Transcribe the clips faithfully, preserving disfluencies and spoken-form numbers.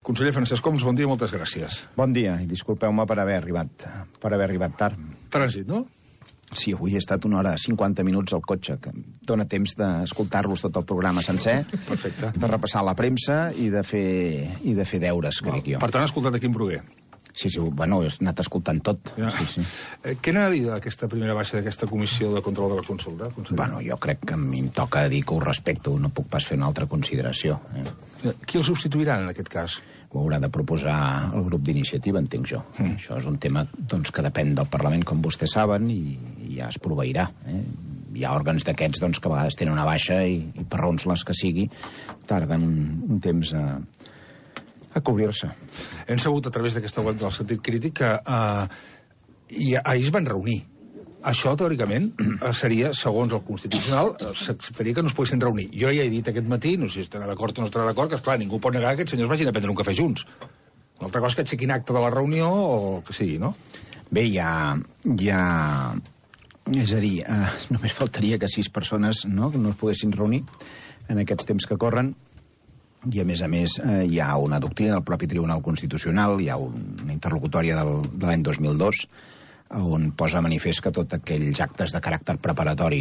Conseller Francesc Homs, bon dia i moltes gràcies. Bon dia, i disculpeu-me per haver arribat per haver arribat tard. Trànsit, no? Sí, avui he estat una hora cinquanta minuts al cotxe, que dona temps d'escoltar-los tot el programa sencer, Perfecte. de repassar la premsa i de fer, i de fer deures, que dic jo. Per tant, ha escoltat aquí en Bruguer. Sí, sí, bueno, he anat escoltant tot. Ja. Sí, sí. Eh, què n'ha de dir d'aquesta primera baixa d'aquesta comissió de control de la consulta, conseller? Bueno, jo crec que a mi em toca dir que ho respecto, no puc pas fer una altra consideració. Eh? Qui el substituirà, en aquest cas? Ho haurà de proposar el grup d'iniciativa, entenc jo. Mm. Això és un tema doncs, que depèn del Parlament, com vostès saben, i, i ja es proveirà. Eh? Hi ha òrgans d'aquests doncs, que a vegades tenen una baixa i, i per raons les que sigui tarden un, un temps a, a cobrir-se. Hem sabut a través d'aquesta web del Sentit Crític que eh, i ahir es van reunir. Això, teòricament, seria, segons el Constitucional, s'acceptaria que no es poguessin reunir. Jo ja he dit aquest matí, no sé si estarà d'acord o no estarà d'acord, que, esclar, ningú pot negar que aquests senyors vagin a prendre un cafè junts. Una altra cosa és que aixequin acte de la reunió o que sigui, no? Bé, hi ha... Hi ha... És a dir, eh, només faltaria que sis persones no, que no es poguessin reunir en aquests temps que corren. I, a més a més, eh, hi ha una doctrina del propi Tribunal Constitucional, hi ha un, una interlocutòria del, de l'any dos mil dos, on posa a manifest que tots aquells actes de caràcter preparatori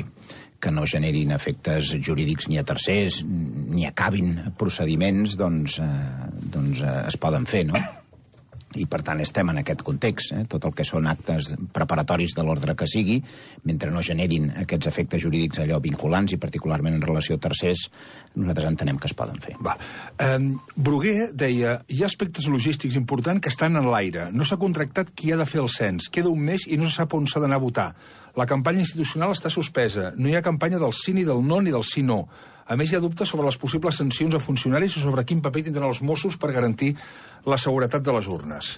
que no generin efectes jurídics ni a tercers, ni acabin procediments, doncs, eh, doncs eh, es poden fer, no? I, per tant, estem en aquest context. Eh? Tot el que són actes preparatoris de l'ordre que sigui, mentre no generin aquests efectes jurídics allò vinculants i particularment en relació a tercers, nosaltres entenem que es poden fer. Va. Eh, Bruguer deia, hi ha aspectes logístics importants que estan en l'aire. No s'ha contractat qui ha de fer el cens. Queda un mes i no se sap on s'ha d'anar a votar. La campanya institucional està suspesa. No hi ha campanya del sí ni del no ni del sí no. A més, hi ha dubtes sobre les possibles sancions a funcionaris o sobre quin paper tindran els Mossos per garantir la seguretat de les urnes.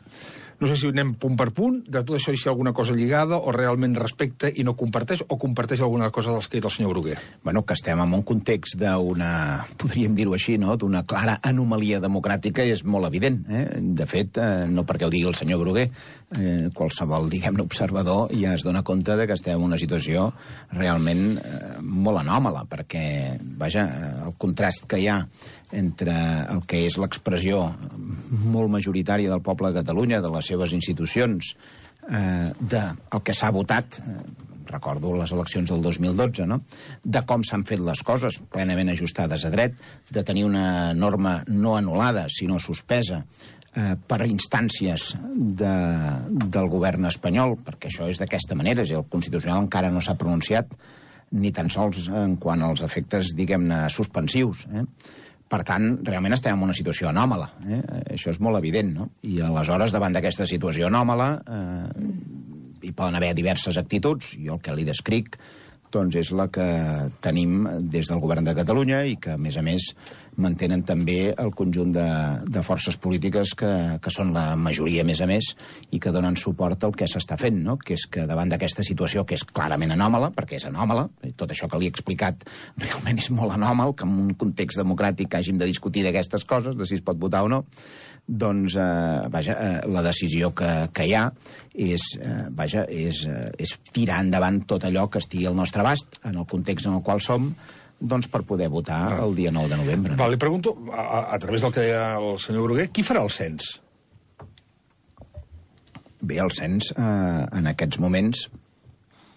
No sé si anem punt per punt, de tot això si hi ha alguna cosa lligada o realment respecta i no comparteix, o comparteix alguna cosa dels que ha dit el senyor Bruguer. Bueno, que estem en un context d'una, podríem dir-ho així, no?, d'una clara anomalia democràtica és molt evident. Eh? De fet, eh, no perquè ho digui el senyor Bruguer, eh, qualsevol, diguem-ne, observador ja es dona compte de que estem en una situació realment eh, molt anòmala, perquè, vaja, el contrast que hi ha entre el que és l'expressió molt majoritària del poble de Catalunya, de les seves institucions, eh, del que s'ha votat, eh, recordo les eleccions del dos mil dotze, no?, de com s'han fet les coses, plenament ajustades a dret, de tenir una norma no anul·lada, sinó suspesa, eh, per instàncies de, del govern espanyol, perquè això és d'aquesta manera, és el Constitucional encara no s'ha pronunciat ni tan sols en quant als efectes, diguem-ne, suspensius, eh? Per tant, realment estem en una situació anòmala. Eh? Això és molt evident, no? I aleshores, davant d'aquesta situació anòmala, eh, hi poden haver diverses actituds. Jo el que li descric doncs, és la que tenim des del govern de Catalunya i que, a més a més, mantenen també el conjunt de, de forces polítiques que, que són la majoria, a més a més, i que donen suport al que s'està fent, no? Que és que davant d'aquesta situació, que és clarament anòmala, perquè és anòmala, tot això que li he explicat realment és molt anòmal, que en un context democràtic hàgim de discutir d'aquestes coses, de si es pot votar o no, doncs, eh, vaja, eh, la decisió que, que hi ha és, eh, vaja, és, eh, és tirar endavant tot allò que estigui al nostre abast, en el context en el qual som, doncs per poder votar el dia nou de novembre. Va, li pregunto, a, a través del que deia el senyor Bruguer, qui farà el cens? Bé, el cens, eh, en aquests moments,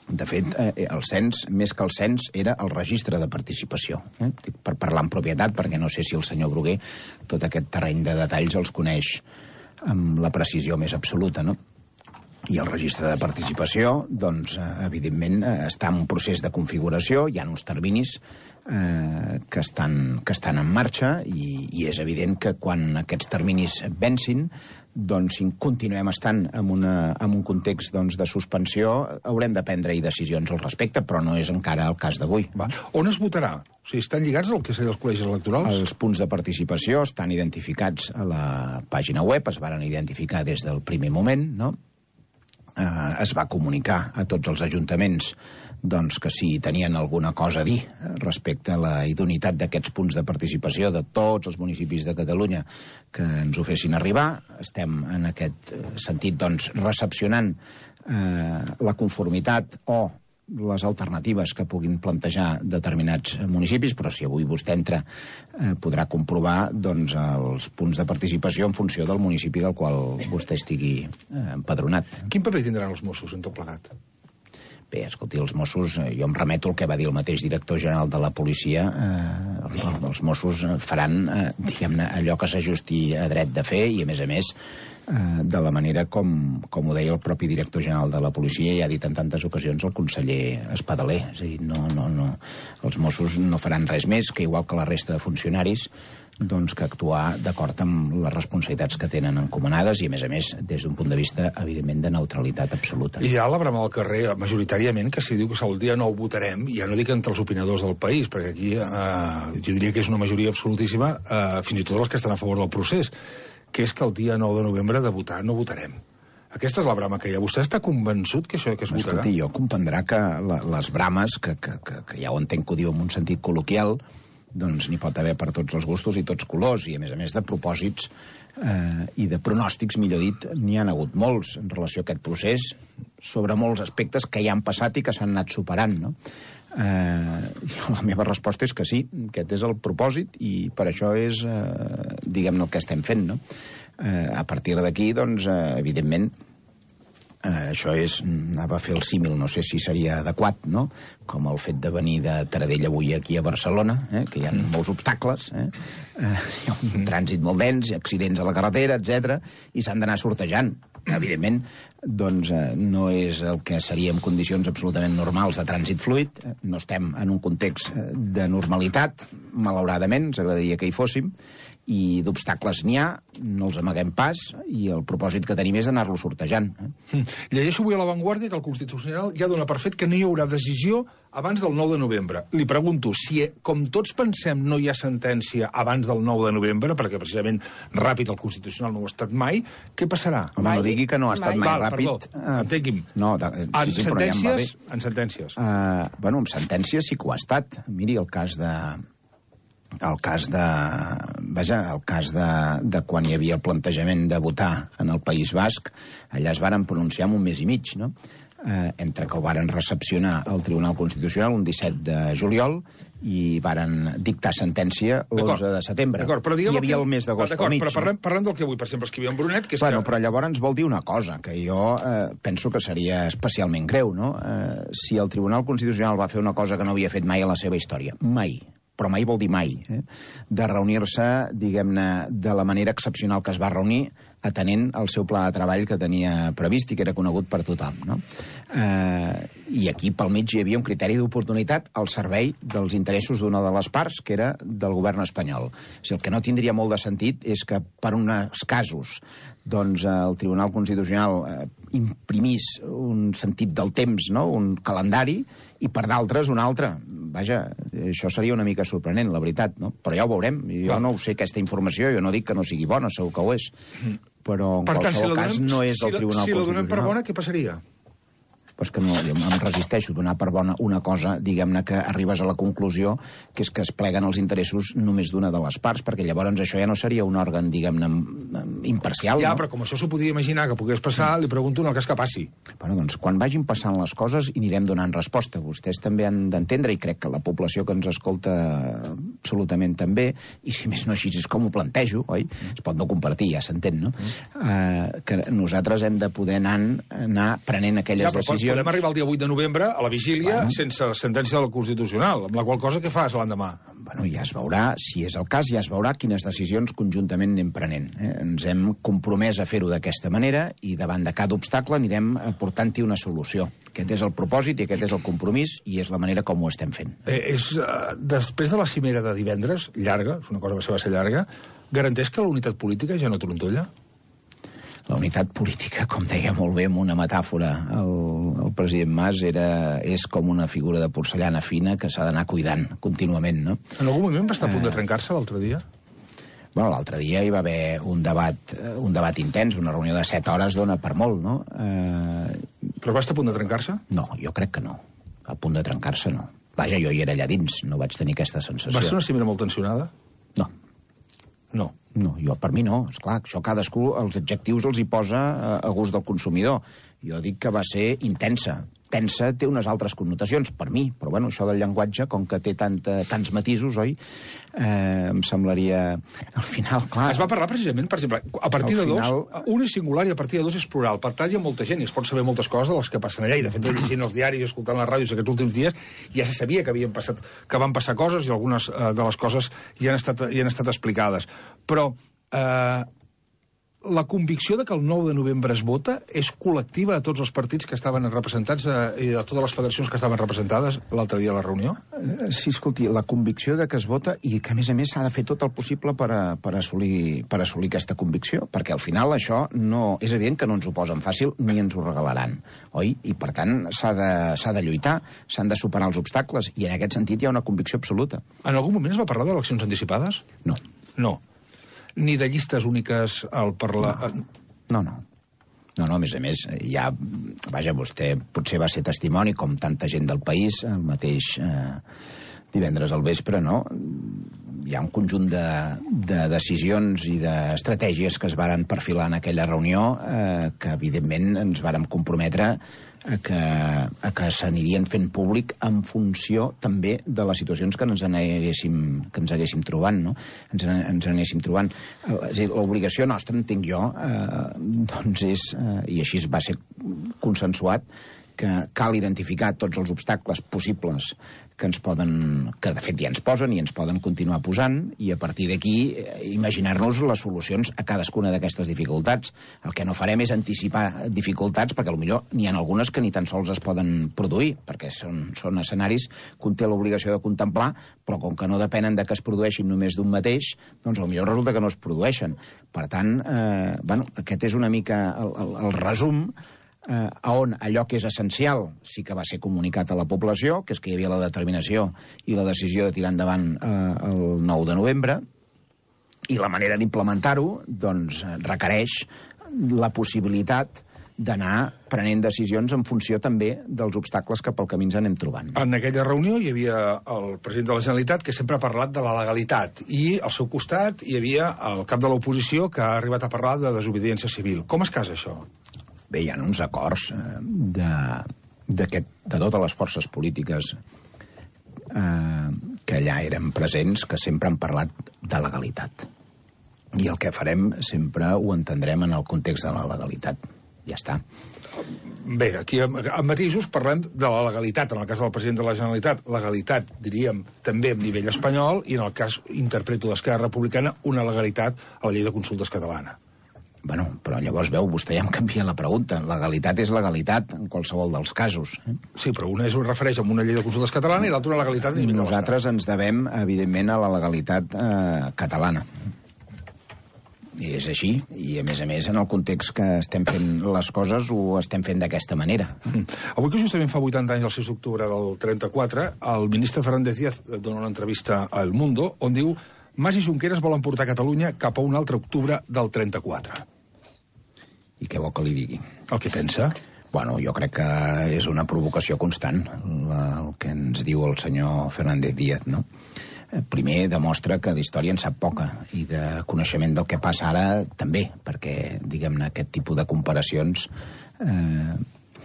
de fet, eh, el cens, més que el cens, era el registre de participació. Eh? Per parlar en propietat, perquè no sé si el senyor Bruguer tot aquest terreny de detalls els coneix amb la precisió més absoluta, no? I el registre de participació, doncs, evidentment, està en un procés de configuració, hi ha uns terminis eh, que, estan, que estan en marxa i, i és evident que quan aquests terminis vencin, doncs, si continuem estant en, una, en un context doncs, de suspensió, haurem de prendre-hi decisions al respecte, però no és encara el cas d'avui. On es votarà? O sigui, estan lligats al que serien els col·legis electorals? Els punts de participació estan identificats a la pàgina web, es varen identificar des del primer moment, no? Eh, es va comunicar a tots els ajuntaments doncs, que si tenien alguna cosa a dir respecte a la idoneïtat d'aquests punts de participació de tots els municipis de Catalunya que ens ho fessin arribar. Estem en aquest sentit doncs, recepcionant eh, la conformitat o les alternatives que puguin plantejar determinats municipis, però si avui vostè entra eh, podrà comprovar doncs, els punts de participació en funció del municipi del qual vostè estigui eh, empadronat. Quin paper tindran els Mossos en tot plegat? Bé, escolti, els Mossos, jo em remeto al que va dir el mateix director general de la policia, eh, els Mossos faran, eh, diguem-ne, allò que s'ajusti a dret de fer i, a més a més, eh, de la manera com, com ho deia el propi director general de la policia i ha dit en tantes ocasions el conseller Espadaler. És a dir, no, no, no, els Mossos no faran res més que, igual que la resta de funcionaris, doncs, que actuar d'acord amb les responsabilitats que tenen encomanades i, a més a més, des d'un punt de vista, evidentment, de neutralitat absoluta. I hi ha la brama al carrer, majoritàriament, que si diu que el dia nou votarem, ja no dic entre els opinadors del país, perquè aquí eh, jo diria que és una majoria absolutíssima, eh, fins i tot els que estan a favor del procés, que és que el dia nou de novembre de votar no votarem. Aquesta és la brama que hi ha. Vostè està convençut que això que es votarà? Escolti, jo comprendrà que la, les brames, que, que, que, que ja ho entenc que ho diu en un sentit col·loquial, doncs n'hi pot haver per tots els gustos i tots colors, i a més a més de propòsits eh, i de pronòstics, millor dit, n'hi han hagut molts en relació a aquest procés, sobre molts aspectes que ja han passat i que s'han anat superant, no? Eh, la meva resposta és que sí, aquest és el propòsit i per això és, eh, diguem-ne, el que estem fent, no? Eh, a partir d'aquí, doncs, eh, evidentment, Eh, això és, anava a fer el símil, no sé si seria adequat, no? Com el fet de venir de Taradell avui aquí a Barcelona, eh? Que hi ha mm. molts obstacles, eh? Eh, hi ha un mm. trànsit molt dens, accidents a la carretera, etcètera, i s'han d'anar sortejant. Evidentment, doncs eh, no és el que seria en condicions absolutament normals de trànsit fluid, no estem en un context de normalitat, malauradament, ens agradaria que hi fóssim, i d'obstacles n'hi ha, no els amaguem pas, i el propòsit que tenim és anar-lo sortejant. Eh? Llegeixo avui a l'Avantguàrdia que el Constitucional ja dona per fet que no hi haurà decisió abans del nou de novembre. Li pregunto, si, com tots pensem, no hi ha sentència abans del nou de novembre, perquè precisament ràpid el Constitucional no ho ha estat mai, què passarà? Home, no digui que no ha estat mai, mai Val, ràpid. Perdó, uh, entengui'm. No, de, sí, en, sí, sentències, ja en sentències? Uh, bueno, en sentències sí que ho ha estat. Miri, el cas de... El cas de... Vaja, el cas de, de quan hi havia el plantejament de votar en el País Basc, allà es varen pronunciar en un mes i mig, no? Eh, entre que ho varen recepcionar al Tribunal Constitucional un disset de juliol i varen dictar sentència l'onze de setembre. Però hi havia que... el mes d'agost al mig. Però parlem, parlem del que avui, per exemple, escrivia en Brunet, que és bueno, que... Però llavors ens vol dir una cosa, que jo eh, penso que seria especialment greu, no? Eh, si el Tribunal Constitucional va fer una cosa que no havia fet mai a la seva història, mai, però mai vol dir mai, eh? de reunir-se, diguem-ne, de la manera excepcional que es va reunir, atenent el seu pla de treball que tenia previst i que era conegut per tothom, no? Eh, I aquí pel mig hi havia un criteri d'oportunitat al servei dels interessos d'una de les parts, que era del govern espanyol. O sigui, el que no tindria molt de sentit és que per uns casos doncs el Tribunal Constitucional eh, imprimís un sentit del temps, no? Un calendari, i per d'altres un altre. Vaja, això seria una mica sorprenent, la veritat, no? Però ja ho veurem. Jo no ho sé, aquesta informació, jo no dic que no sigui bona, segur que ho és. Però en per tant, qualsevol si cas donem, no és del si Tribunal si Constitucional. Si la donem per bona, què passaria? Pues que no, jo em resisteixo a donar per bona una cosa, diguem-ne, que arribes a la conclusió que és que es pleguen els interessos només d'una de les parts, perquè llavors això ja no seria un òrgan, diguem-ne, imparcial. Ja, no? Però com això s'ho podia imaginar que pogués passar, li pregunto en el cas que passi. Bueno, doncs, quan vagin passant les coses hi anirem donant resposta. Vostès també han d'entendre, i crec que la població que ens escolta absolutament també, i si més no així és com ho plantejo, oi? Es pot no compartir, ja s'entén, no? Mm. Uh, que nosaltres hem de poder anar, anar prenent aquelles ja, decisions. Podem arribar el dia vuit de novembre a la vigília bueno. sense sentència del Constitucional, amb la qual cosa què fas l'endemà? Bueno, ja es veurà, si és el cas, ja es veurà quines decisions conjuntament anem prenent. Eh? Ens hem compromès a fer-ho d'aquesta manera i davant de cada obstacle anirem aportant-hi una solució. Aquest és el propòsit i aquest és el compromís i és la manera com ho estem fent. Eh, és, uh, després de la cimera de divendres, llarga, és una cosa que va ser llarga, garanteix que la unitat política ja no trontolla? La unitat política, com deia molt bé amb una metàfora el, el president Mas, era, és com una figura de porcellana fina que s'ha d'anar cuidant contínuament, no? En algun moment va estar a punt de trencar-se l'altre dia? Bueno, l'altre dia hi va haver un debat, un debat intens, una reunió de set hores dona per molt, no? Eh... Però va estar a punt de trencar-se? No, jo crec que no. A punt de trencar-se, no. Vaja, jo hi era allà dins, no vaig tenir aquesta sensació. Va ser una cimera molt tensionada? No. No. No, jo per mi no, esclar, això cadascú els adjectius els hi posa a, a gust del consumidor. Jo dic que va ser intensa, tensa té unes altres connotacions, per mi, però bueno, això del llenguatge, com que té tanta, tants matisos, oi? Eh, em semblaria... Al final, clar... Es va parlar precisament, per exemple, a partir de final... dos, un és singular i a partir de dos és plural. Per tant, hi ha molta gent i es pot saber moltes coses de les que passen allà. I, de fet, llegint els diaris i escoltant les ràdios aquests últims dies, ja se sabia que havien passat, que van passar coses i algunes eh, de les coses ja han estat, ja han estat explicades. Però... Eh, la convicció de que el nou de novembre es vota és col·lectiva a tots els partits que estaven representats eh, i a totes les federacions que estaven representades l'altre dia a la reunió? Sí, escolti, la convicció de que es vota i que, a més a més, s'ha de fer tot el possible per, a, per, assolir, per assolir aquesta convicció, perquè al final això no... És evident que no ens ho posen fàcil ni ens ho regalaran, oi? I, per tant, s'ha de, s'ha de lluitar, s'han de superar els obstacles, i en aquest sentit hi ha una convicció absoluta. En algun moment es va parlar d'eleccions anticipades? No. No. Ni de llistes úniques al parlar... No, no. No, no, a més a més, ja... Vaja, vostè potser va ser testimoni, com tanta gent del país, el mateix eh, divendres al vespre, no? Hi ha un conjunt de, de decisions i d'estratègies que es varen perfilar en aquella reunió eh, que, evidentment, ens vàrem comprometre a que, a que s'anirien fent públic en funció també de les situacions que ens haguéssim, que ens haguéssim trobant, no? Ens, ens anéssim trobant. L'obligació nostra, entenc jo, eh, doncs és, eh, i així va ser consensuat, que cal identificar tots els obstacles possibles que ens poden, que de fet ja ens posen i ens poden continuar posant, i a partir d'aquí imaginar-nos les solucions a cadascuna d'aquestes dificultats. El que no farem és anticipar dificultats, perquè potser n'hi ha algunes que ni tan sols es poden produir, perquè són, són escenaris que un té l'obligació de contemplar, però com que no depenen de que es produeixin només d'un mateix, doncs potser resulta que no es produeixen. Per tant, eh, bueno, aquest és una mica el, el, el resum eh, on allò que és essencial sí que va ser comunicat a la població, que és que hi havia la determinació i la decisió de tirar endavant eh, el nou de novembre, i la manera d'implementar-ho doncs, requereix la possibilitat d'anar prenent decisions en funció també dels obstacles que pel camí ens anem trobant. En aquella reunió hi havia el president de la Generalitat, que sempre ha parlat de la legalitat, i al seu costat hi havia el cap de l'oposició, que ha arribat a parlar de desobediència civil. Com es casa això? Bé, hi ha uns acords eh, de, de, de totes les forces polítiques eh, que allà eren presents, que sempre han parlat de legalitat. I el que farem sempre ho entendrem en el context de la legalitat. Ja està. Bé, aquí amb matisos parlem de la legalitat, en el cas del president de la Generalitat. Legalitat, diríem, també a nivell espanyol, i en el cas, interpreto d'Esquerra Republicana, una legalitat a la llei de consultes catalana. Bueno, però llavors, veu, vostè ja em canvia la pregunta. Legalitat és legalitat en qualsevol dels casos. Eh? Sí, però una es refereix a una llei de consultes catalana i l'altra una legalitat a nivell de l'Estat. Nosaltres ens devem, evidentment, a la legalitat eh, catalana. I és així, i a més a més en el context que estem fent les coses ho estem fent d'aquesta manera. Mm. Avui que justament fa vuitanta anys, el sis d'octubre del trenta-quatre, el ministre Fernández Díaz dona una entrevista a El Mundo on diu: Mas i Junqueras volen portar Catalunya cap a un altre octubre del trenta-quatre. I què vol que li digui? El que pensa? Bueno, jo crec que és una provocació constant la, el que ens diu el senyor Fernández Díaz, no? Primer, demostra que d'història en sap poca, i de coneixement del que passa ara també, perquè, diguem-ne, aquest tipus de comparacions, eh,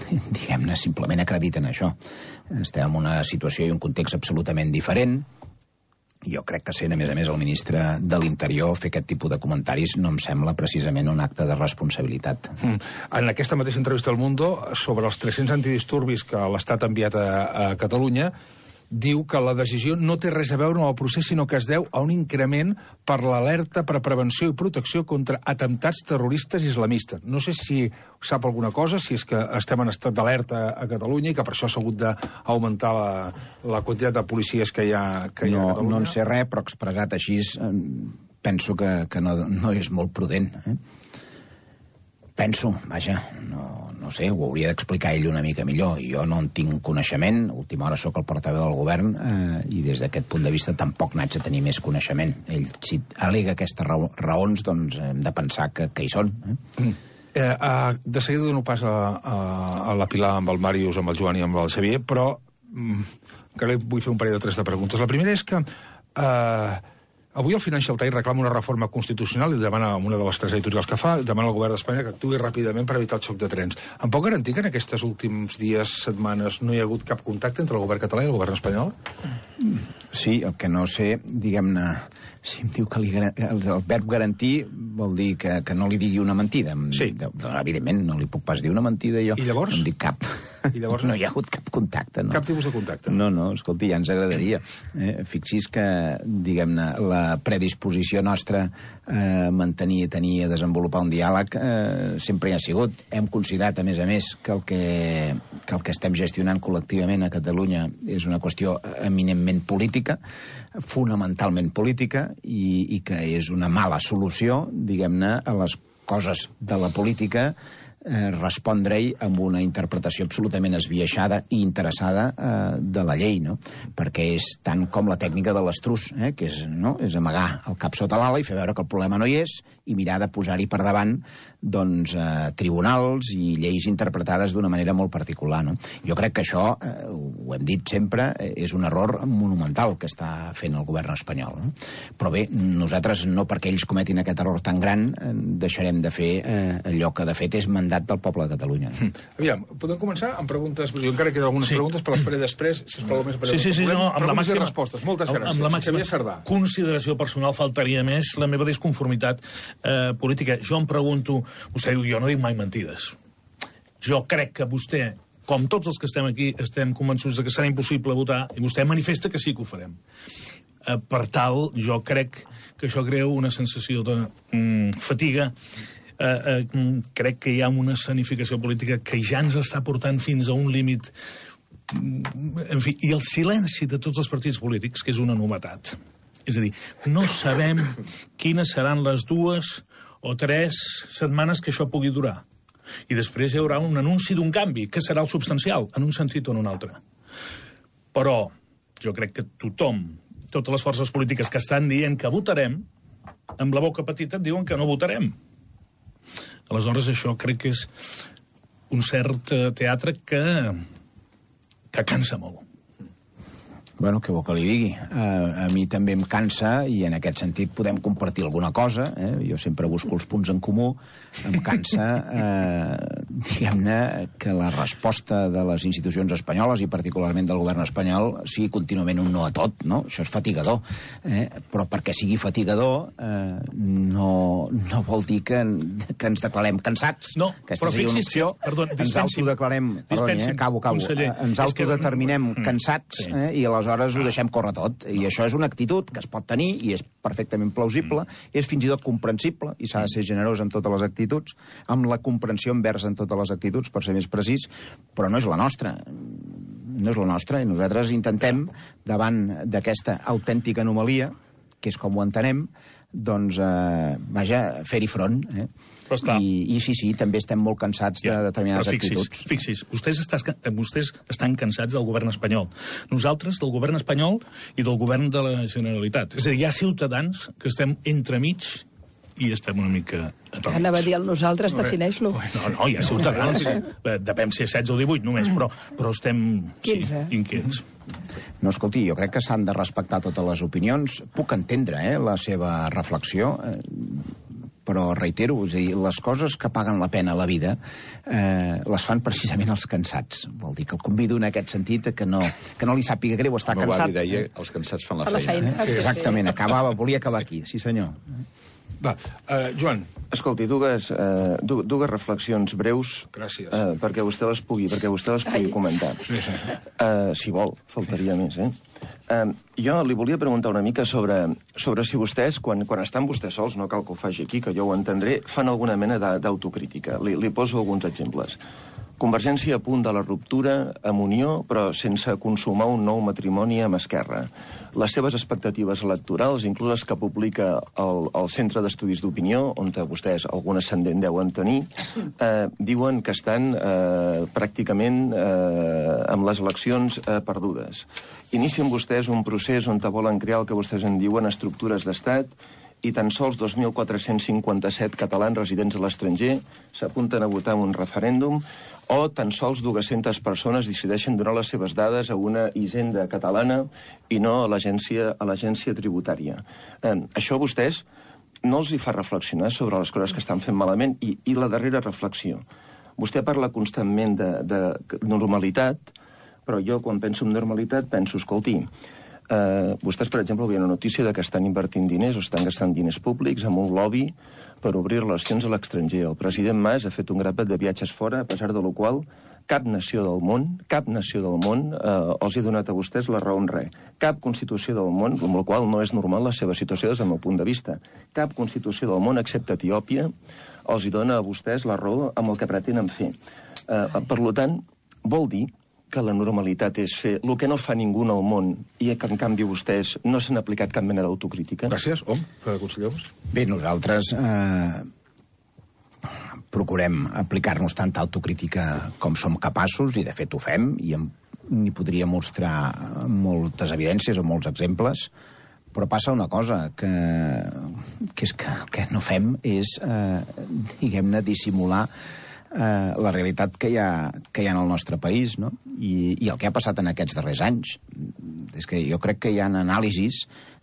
diguem-ne, simplement acrediten això. Estem en una situació i un context absolutament diferent. Jo crec que sent, a més a més, el ministre de l'Interior fer aquest tipus de comentaris no em sembla precisament un acte de responsabilitat. Mm. En aquesta mateixa entrevista al Mundo, sobre els tres-cents antidisturbis que l'Estat ha enviat a, a Catalunya, diu que la decisió no té res a veure amb el procés, sinó que es deu a un increment per l'alerta per a prevenció i protecció contra atemptats terroristes islamistes. No sé si sap alguna cosa, si és que estem en estat d'alerta a Catalunya i que per això s'ha hagut d'augmentar la, la quantitat de policies que hi ha, que hi ha no, a Catalunya. No en sé res, però expressat així penso que, que no, no és molt prudent. Eh? Penso, vaja, no, no sé, ho hauria d'explicar ell una mica millor. Jo no en tinc coneixement, a última hora sóc el portaveu del govern, eh, i des d'aquest punt de vista tampoc n'haig de tenir més coneixement. Ell, si alega aquestes raons, doncs hem de pensar que, que hi són. Eh? Mm. Eh, uh, de seguida dono pas a, a, a la Pilar amb el Màrius, amb el Joan i amb el Xavier, però mm, encara vull fer un parell de tres de preguntes. La primera és que... Uh, Avui el Financial Times reclama una reforma constitucional i demana, amb una de les tres editorials que fa, demana al govern d'Espanya que actuï ràpidament per evitar el xoc de trens. Em pot garantir que en aquests últims dies, setmanes, no hi ha hagut cap contacte entre el govern català i el govern espanyol? Sí, el que no sé, diguem-ne, si em diu que li, el, el verb garantir vol dir que, que no li digui una mentida. Sí. De, de, evidentment, no li puc pas dir una mentida jo. I llavors? No em dic cap. I llavors? No hi ha hagut cap contacte, no. Cap tipus de contacte? No, no, escolti, ja ens agradaria. Eh, fixi's que, diguem-ne, la predisposició nostra a mantenir, a tenir, a desenvolupar un diàleg eh, sempre hi ha sigut. Hem considerat, a més a més, que el que, que el que estem gestionant col·lectivament a Catalunya és una qüestió eminentment política, fonamentalment política, i, i que és una mala solució, diguem-ne, a les coses de la política, eh, respondre-hi amb una interpretació absolutament esbiaixada i interessada eh, de la llei, no? Perquè és tant com la tècnica de l'estrus, eh, que és, no? és amagar el cap sota l'ala i fer veure que el problema no hi és i mirar de posar-hi per davant doncs, eh, tribunals i lleis interpretades d'una manera molt particular, no? Jo crec que això, eh, ho hem dit sempre, eh, és un error monumental que està fent el govern espanyol, no? Però bé, nosaltres no perquè ells cometin aquest error tan gran eh, deixarem de fer eh, allò que de fet és mandat del poble de Catalunya. Mm. Aviam, podem començar amb preguntes? Jo encara queden algunes sí. preguntes, però les faré després, sisplau, més breus. Sí, sí, sí, no, amb la màxima... respostes. Moltes gràcies. Amb la màxima Sardà. Consideració personal faltaria més la meva disconformitat eh, política. Jo em pregunto, vostè diu, jo no dic mai mentides. Jo crec que vostè, com tots els que estem aquí, estem convençuts de que serà impossible votar, i vostè manifesta que sí que ho farem. Eh, per tal, jo crec que això crea una sensació de mm, fatiga. Eh, eh, crec que hi ha una escenificació política que ja ens està portant fins a un límit. En fi, i el silenci de tots els partits polítics, que és una novetat. És a dir, no sabem quines seran les dues o tres setmanes que això pugui durar. I després hi haurà un anunci d'un canvi, que serà el substancial, en un sentit o en un altre. Però jo crec que tothom, totes les forces polítiques que estan dient que votarem, amb la boca petita et diuen que no votarem. Aleshores, això crec que és un cert teatre que, que cansa molt. Bueno, què vol que li digui? Uh, a mi també em cansa, i en aquest sentit podem compartir alguna cosa. Eh? Jo sempre busco els punts en comú. Em cansa, uh, diguem-ne, que la resposta de les institucions espanyoles, i particularment del govern espanyol, sigui contínuament un no a tot, no? Això és fatigador. Eh? Però perquè sigui fatigador uh, no, no vol dir que, que ens declarem cansats. No, Aquesta però seria una fixis opció. que... Perdó, ens autodeclarem... Perdoni, eh? Acabo, acabo. Conseller, ens autodeterminem que... cansats, sí. eh? I aleshores aleshores ho deixem córrer tot. I això és una actitud que es pot tenir i és perfectament plausible, mm. és fins i tot comprensible, i s'ha de ser generós en totes les actituds, amb la comprensió envers en totes les actituds, per ser més precís, però no és la nostra. No és la nostra, i nosaltres intentem, davant d'aquesta autèntica anomalia, que és com ho entenem, doncs, eh, vaja, fer-hi front. Eh? I, I sí, sí, també estem molt cansats ja, de determinades fixis, actituds. Fixis, vostès, estàs, vostès estan cansats del govern espanyol. Nosaltres, del govern espanyol i del govern de la Generalitat. És a dir, hi ha ciutadans que estem entremig i estem una mica atòmics. Anava a dir el nosaltres, defineix-lo. No, no, hi ha ciutadans. Depèn si és setze o divuit només, però, però estem sí, inquiets. No, escolti, jo crec que s'han de respectar totes les opinions. Puc entendre eh, la seva reflexió, eh, però reitero, és a dir, les coses que paguen la pena a la vida eh, les fan precisament els cansats. Vol dir que el convido en aquest sentit que no, que no li sàpiga greu estar no, cansat. No, va, li deia, els cansats fan la feina. La feina. Eh? Exactament, acabava, volia acabar aquí. Sí, senyor. Va, uh, Joan. Escolti, dues, uh, dues reflexions breus. Gràcies. Uh, perquè vostè les pugui, perquè vostè les pugui Ai. comentar. Sí, sí. Uh, si vol, faltaria més, eh? Uh, jo li volia preguntar una mica sobre, sobre si vostès, quan, quan estan vostès sols, no cal que ho faci aquí, que jo ho entendré, fan alguna mena d'autocrítica. Li, li poso alguns exemples. Convergència a punt de la ruptura amb Unió, però sense consumar un nou matrimoni amb Esquerra. Les seves expectatives electorals, inclús les que publica el, el Centre d'Estudis d'Opinió, on vostès algun ascendent deuen tenir, eh, diuen que estan eh, pràcticament eh, amb les eleccions eh, perdudes. Inicien vostès un procés on volen crear el que vostès en diuen estructures d'estat i tan sols dos mil quatre-cents cinquanta-set catalans residents a l'estranger s'apunten a votar en un referèndum, o tan sols dues-centes persones decideixen donar les seves dades a una hisenda catalana i no a l'agència a l'agència tributària. Eh, això a vostès no els hi fa reflexionar sobre les coses que estan fent malament? I, i la darrera reflexió. Vostè parla constantment de, de normalitat, però jo quan penso en normalitat penso, escolti, eh, vostès, per exemple, havia una notícia de que estan invertint diners o estan gastant diners públics amb un lobby per obrir relacions a l'estranger. El president Mas ha fet un grapat de viatges fora, a pesar de lo qual cap nació del món, cap nació del món eh, els ha donat a vostès la raó en res. Cap constitució del món, amb la qual no és normal la seva situació des del meu punt de vista. Cap constitució del món, excepte Etiòpia, els hi dona a vostès la raó amb el que pretenen fer. Eh, per tant, vol dir que la normalitat és fer el que no fa ningú al món i que, en canvi, vostès no s'han aplicat cap mena d'autocrítica? Gràcies. Om, conseller. Bé, nosaltres eh, procurem aplicar-nos tanta autocrítica com som capaços, i de fet ho fem, i n'hi podria mostrar moltes evidències o molts exemples, però passa una cosa, que, que és que el que no fem és, eh, diguem-ne, dissimular Eh, la realitat que hi ha, que hi ha en el nostre país, no? I, i el que ha passat en aquests darrers anys. És que jo crec que hi ha anàlisis,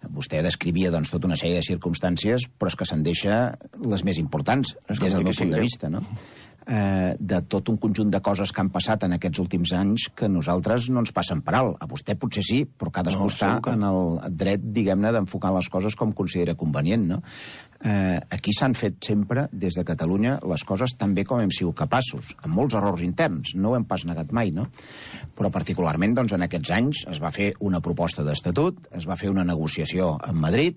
vostè descrivia doncs, tota una sèrie de circumstàncies, però és que se'n deixa les més importants, des del meu punt de vista, no? Eh, de tot un conjunt de coses que han passat en aquests últims anys que nosaltres no ens passen per alt. A vostè potser sí, però cadascú no, està que... en el dret, diguem-ne, d'enfocar les coses com considera convenient, no? Eh, aquí s'han fet sempre, des de Catalunya, les coses tan bé com hem sigut capaços, amb molts errors interns, no ho hem pas negat mai, no? Però particularment, doncs, en aquests anys es va fer una proposta d'estatut, es va fer una negociació amb Madrid,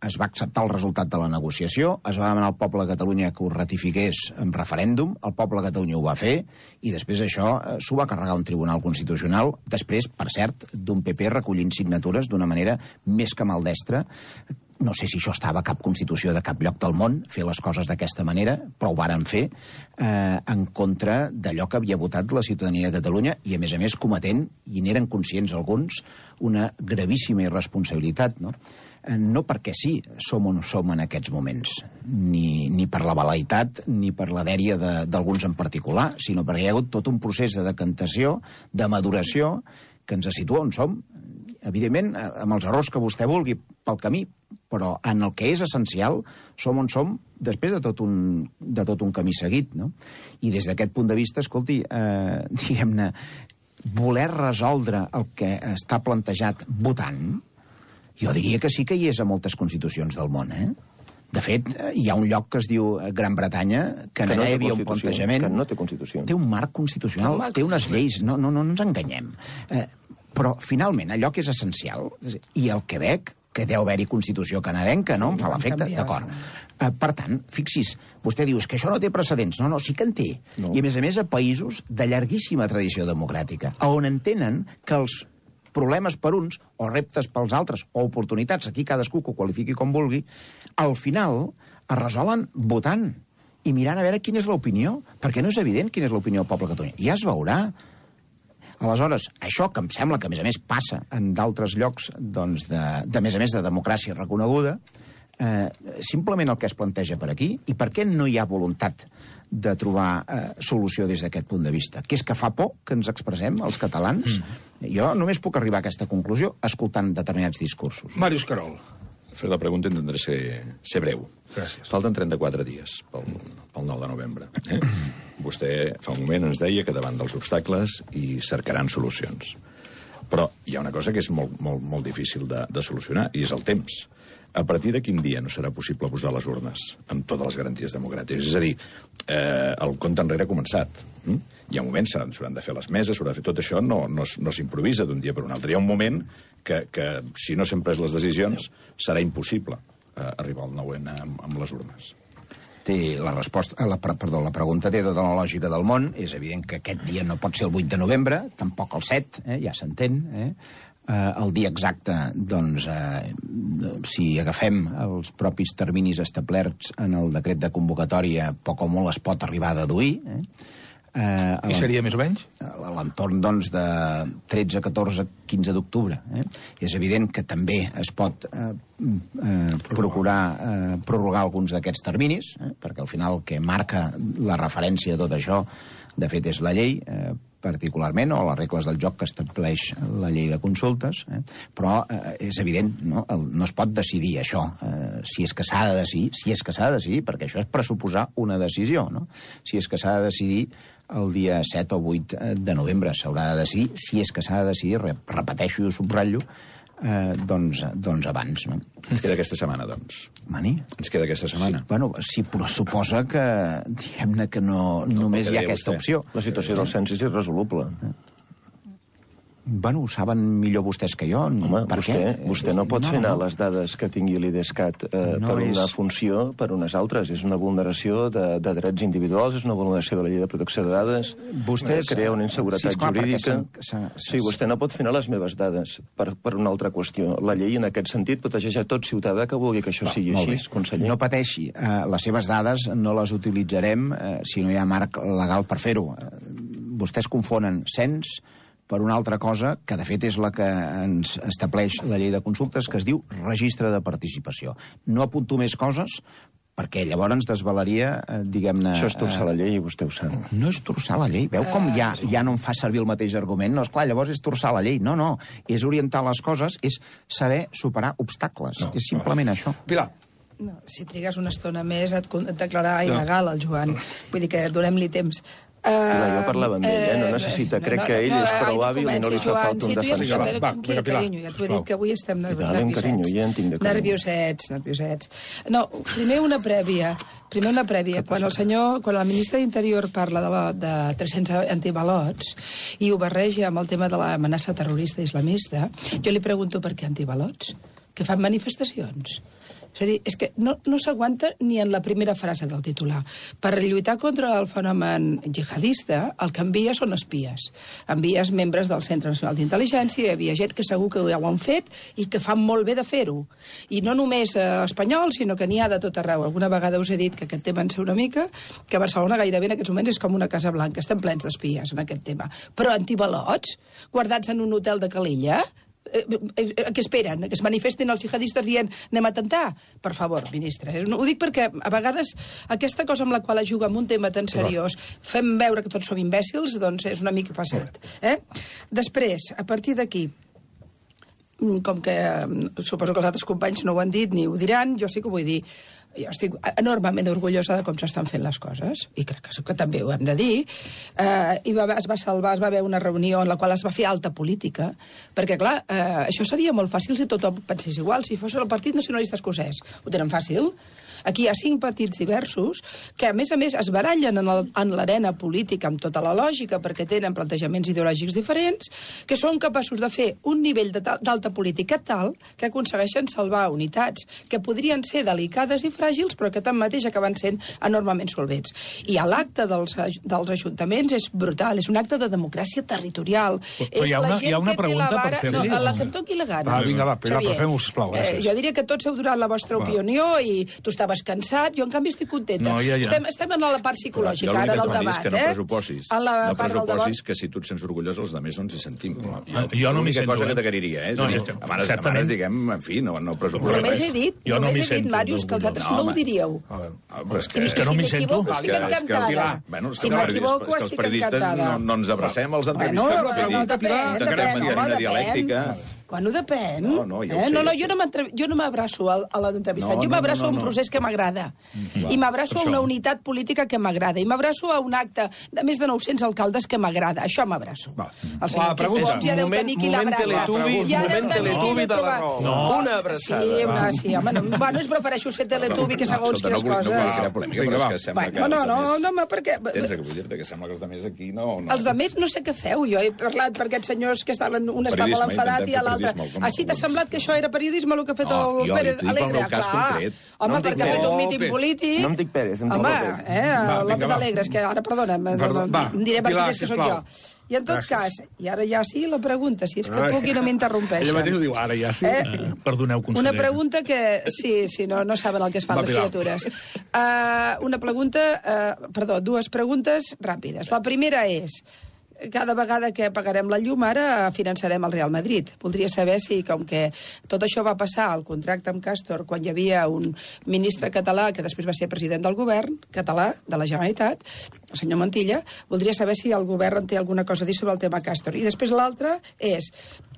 es va acceptar el resultat de la negociació, es va demanar al poble de Catalunya que ho ratifiqués en referèndum, el poble de Catalunya ho va fer, i després això eh, s'ho va carregar un tribunal constitucional, després, per cert, d'un P P recollint signatures d'una manera més que maldestra. No sé si això estava a cap constitució de cap lloc del món, fer les coses d'aquesta manera, però ho varen fer eh, en contra d'allò que havia votat la ciutadania de Catalunya i, a més a més, cometent, i n'eren conscients alguns, una gravíssima irresponsabilitat, no? Eh, no perquè sí som on som en aquests moments, ni, ni per la velaitat ni per la dèria d'alguns en particular, sinó perquè hi ha hagut tot un procés de decantació, de maduració, que ens situa on som. Evidentment, amb els errors que vostè vulgui pel camí, però en el que és essencial som on som després de tot un, de tot un camí seguit, no? I des d'aquest punt de vista, escolti, eh, diguem-ne, voler resoldre el que està plantejat votant, jo diria que sí que hi és a moltes constitucions del món, eh? De fet, hi ha un lloc que es diu Gran Bretanya, que, que no hi havia un plantejament... Que no té constitució. Té un marc constitucional, té unes lleis, no, no, no ens enganyem. Eh, però, finalment, allò que és essencial, i el Quebec, que deu haver-hi constitució canadenca, no? Em fa l'efecte, d'acord. Eh, per tant, fixis, vostè diu que això no té precedents. No, no, sí que en té. No. I, a més a més, a països de llarguíssima tradició democràtica, on entenen que els problemes per uns, o reptes pels altres, o oportunitats, aquí cadascú que ho qualifiqui com vulgui, al final es resolen votant i mirant a veure quina és l'opinió, perquè no és evident quina és l'opinió del poble de Catalunya. Ja es veurà. Aleshores, això que em sembla que, a més a més, passa en d'altres llocs, doncs, de, de més a més, de democràcia reconeguda, eh, simplement el que es planteja per aquí, i per què no hi ha voluntat de trobar eh, solució des d'aquest punt de vista, que és que fa por que ens expressem, els catalans. Mm. Jo només puc arribar a aquesta conclusió escoltant determinats discursos. Màrius Carol. Fer la pregunta intentaré ser, ser breu. Gràcies. Falten trenta-quatre dies pel, pel nou de novembre. Eh? Vostè fa un moment ens deia que davant dels obstacles hi cercaran solucions. Però hi ha una cosa que és molt, molt, molt difícil de, de solucionar, i és el temps. A partir de quin dia no serà possible posar les urnes amb totes les garanties democràtiques? És a dir, eh, el compte enrere ha començat. Mm? Hi ha moments, s'hauran de fer les meses, s'haurà de fer tot això, no, no, no s'improvisa d'un dia per un altre. Hi ha un moment que, que si no s'han pres les decisions, serà impossible eh, arribar al nou ene amb, amb les urnes. Té la resposta, la, perdó, la pregunta té tota la lògica del món. És evident que aquest dia no pot ser el vuit de novembre, tampoc el set, eh, ja s'entén, eh? Eh, el dia exacte, doncs, eh, si agafem els propis terminis establerts en el decret de convocatòria, poc o molt es pot arribar a deduir. Eh? Eh, I seria més o menys? A l'entorn, doncs, de tretze, catorze, quinze d'octubre. Eh? És evident que també es pot eh, eh, procurar eh, prorrogar alguns d'aquests terminis, eh? perquè al final el que marca la referència a tot això, de fet, és la llei, eh, particularment, o les regles del joc que estableix la llei de consultes, eh? però eh, és evident, no? El, no es pot decidir això, eh, si és que s'ha de decidir, si és que s'ha de decidir, perquè això és pressuposar una decisió, no? Si és que s'ha de decidir el dia set o vuit de novembre, s'haurà de decidir, si és que s'ha de decidir, repeteixo i ho subratllo, eh, doncs, doncs abans, no? Ens queda aquesta setmana, doncs. Mani? Ens queda aquesta setmana. Sí, bueno, sí, però suposa que, diguem-ne que no, no només hi ha aquesta vostè. opció. La situació del cens és irresoluble. Bueno, ho saben millor vostès que jo. Home, per vostè, què? vostè no pot no, fer anar no. les dades que tingui l'IDESCAT eh, No per una és- funció per unes altres. És una vulneració de, de drets individuals, és una vulneració de la llei de protecció de dades, Vostès- eh, crea una inseguretat Sí, esclar, perquè jurídica. s'han- s'ha- Sí, vostè no pot fer anar les meves dades per, per una altra qüestió. La llei, en aquest sentit, protegeix a tot ciutadà que vulgui que això sigui Molt així, bé. conseller. No pateixi, eh, les seves dades no les utilitzarem eh, si no hi ha marc legal per fer-ho. Eh, vostès confonen cens per una altra cosa, que de fet és la que ens estableix la llei de consultes, que es diu registre de participació. No apunto més coses, perquè llavors ens desvelaria, eh, diguem-ne... Això és torçar eh, la llei i vostè ho sap. No és torçar la llei. Veu com ja, ja no em fa servir el mateix argument? No, esclar, llavors és torçar la llei. No, no. És orientar les coses, és saber superar obstacles. No, és simplement no. això. Pilar. No, si trigues una estona més et con- et declararà il·legal el Joan. Vull dir que donem-li temps. Pilar, jo parlava amb ell, eh? No necessita. Crec que ell és prou hàbil i no li fa falta un defensor. Sí, tu ja Va, saps, va, tranquil, vinga, Pilar, carinyo, ja t'ho he sisplau. dit, que avui estem I tant, carinyo, ja en tinc de carinyo. nerviosets, nerviosets. No, primer una prèvia. Primer una prèvia. Quan el senyor, quan el ministre d'Interior parla de, la, de tres-cents antibalots i ho barreja amb el tema de l'amenaça terrorista islamista, jo li pregunto per què antibalots? Que fan manifestacions. És a dir, és que no, no s'aguanta ni en la primera frase del titular. Per lluitar contra el fenomen jihadista, el que envia són espies. Envies membres del Centre Nacional d'Intel·ligència, hi havia gent que segur que ja ho han fet i que fan molt bé de fer-ho. I no només eh, espanyols, sinó que n'hi ha de tot arreu. Alguna vegada us he dit que aquest tema en sé una mica, que Barcelona gairebé en aquests moments és com una Casa Blanca, estem plens d'espies en aquest tema. Però antibalots, guardats en un hotel de Calella, Eh, eh, què esperen? Que es manifestin els jihadistes dient anem a tentar? Per favor, ministre. Eh? Ho dic perquè a vegades aquesta cosa amb la qual es juga amb un tema tan seriós fem veure que tots som imbècils, doncs és una mica passat. Eh? Després, a partir d'aquí, com que suposo que els altres companys no ho han dit ni ho diran, jo sí que ho vull dir. Jo estic enormement orgullosa de com s'estan fent les coses, i crec que, que també ho hem de dir. Eh, i va, es va salvar, es va haver una reunió en la qual es va fer alta política, perquè, clar, eh, això seria molt fàcil si tothom pensés igual. Si fos el Partit Nacionalista Escocès, ho tenen fàcil. Aquí hi ha cinc partits diversos que, a més a més, es barallen en, el, en l'arena política amb tota la lògica perquè tenen plantejaments ideològics diferents, que són capaços de fer un nivell d'alta política tal que aconsegueixen salvar unitats que podrien ser delicades i fràgils, però que tanmateix acaben sent enormement solvents. I l'acte dels, dels ajuntaments és brutal, és un acte de democràcia territorial. Però és hi ha una- la gent hi ha una que té pregunta la per vara... fer-li. No, la que em toqui la gana. Va, vinga, va, Pilar, Xavier, però fem-ho, sisplau, gràcies. Eh, jo diria que tots heu donat la vostra Va. opinió i tu estaves cansat, jo en canvi estic contenta. No, ja, ja. Estem, estem en la part psicològica Jo ara l'únic que del et demano és debat, que no eh? pressuposis. En la No part del pressuposis debat. que si tu et sents orgullós, els altres no ens hi sentim. Jo, Ah, jo no m'hi l'única sento, cosa eh? que t'agrairia, eh? És No, a dir, jo estic- demanes, certament. demanes, diguem, en fi, no, no pressuposis Només res. he dit, Jo no només m'hi he dit, sento Màrius, que els altres orgullós. no No, ho diríeu. Ah, però és que... És que no si m'hi sento. m'equivoco, És estic que- és que- encantada. Pilar, bueno, és que Si els m'equivoco, periodistes- és que els estic periodistes encantada. no, no ens abracem als Bueno, entrevistes. no, vull no, dir, depèn, de depèn, manera home, dialèctica. depèn. Bueno, depèn. No, no, ja ho eh? sé, no, no, ja ho jo sé. no m'entre- jo no m'abraço a, a l'entrevistat, No, jo no, m'abraço no, a un no. procés que m'agrada. Clar, I m'abraço per a una això. unitat política que m'agrada. I m'abraço a un acte de més de nou-cents alcaldes que m'agrada. Això m'abraço. Va. El senyor La pregunta. Quim Homs ja deu Moment- tenir qui moment l'abraça. Teletubi, Ja deu moment tenir qui Teletubi l'he de la trobat. Raó. No. Una abraçada. Sí, una, sí, home, no, bueno, és prefereixo ser Teletubi que segons Escolta, no quines vull- no vull coses. crear polèmica, Vinga, però és va. que sembla que Bueno, no, els no, altres- no, home, perquè... Tens que vull dir-te que sembla que els altres aquí no... no. Els de més no sé què feu. Jo he parlat per aquests senyors que estaven... Un estava Periodisme, molt enfadat i intentem fer l'altre l'altre. periodisme, com- Ah, sí, t'ha semblat que això era periodisme, el que ha fet No, el jo Pérez t'ho dic pel Alegre? meu cas Clar. concret. Home, No em dic perquè ha fet Pérez. un míting Pérez. polític... No em dic Pérez, em dic Home, López. eh, Va, López vinga, va. Alegre, és que ara, perdona'm, Perdó, va, em diré per Pilar, qui és que sóc sisplau. jo. I en tot Gràcies. cas, i ara ja sí, la pregunta, si és que Ai. puc i no m'interrompeixen. Ella mateix ho diu, ara ja sí. Eh? Uh, perdoneu, conseller. Una pregunta que... Sí, sí, no, no saben el que es fan Va, les Pilar. criatures. Uh, una pregunta... Uh, perdó, dues preguntes ràpides. La primera és... Cada vegada que pagarem la llum, ara finançarem el Real Madrid. Voldria saber si, com que tot això va passar al contracte amb Castor quan hi havia un ministre català que després va ser president del govern català de la Generalitat, el senyor Montilla, voldria saber si el govern té alguna cosa a dir sobre el tema Castor. I després l'altra és,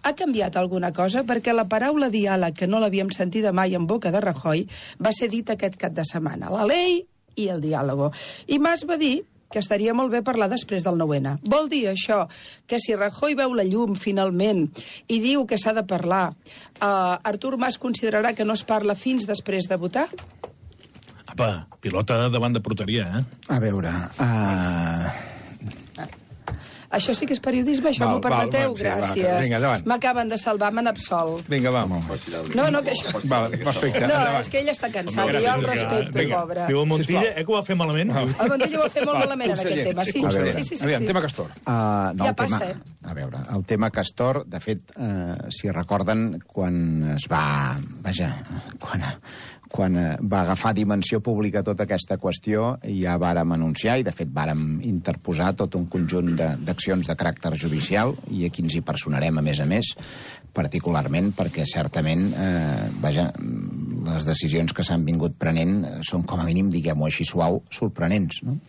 ha canviat alguna cosa? Perquè la paraula diàleg, que no l'havíem sentida mai en boca de Rajoy, va ser dit aquest cap de setmana. La llei i el diàlogo. I Mas va dir que estaria molt bé parlar després del nou ene. Vol dir això que si Rajoy veu la llum finalment i diu que s'ha de parlar, uh, Artur Mas considerarà que no es parla fins després de votar? Apa, pilota davant de porteria, eh? A veure... Uh... Això sí que és periodisme, això Val, m'ho permeteu? val, sí, va, Gràcies. vinga, endavant. M'acaben de salvar, m'han absolt. Vinga, va. No, no, que això... Va, perfecte, No, endavant. és que ell està cansat, i jo el respecto, Vinga. pobre. Diu el Montilla, Sisplau. eh, que ho va fer malament? El Montilla ho va fer molt malament en aquest tema, sí. Conseller, Sí, sí, sí, aviam, sí. tema Castor. Uh, no, Ja el tema, passa, eh? A veure, el tema Castor, de fet, uh, si recorden, quan es va... Vaja, quan, quan uh, va agafar dimensió pública tota aquesta qüestió, ja vàrem anunciar, i de fet vàrem interposar tot un conjunt de- d'accions de, de caràcter judicial, i aquí ens hi personarem, a més a més, particularment perquè certament, eh, vaja, les decisions que s'han vingut prenent són, com a mínim, diguem-ho així suau, sorprenents, no?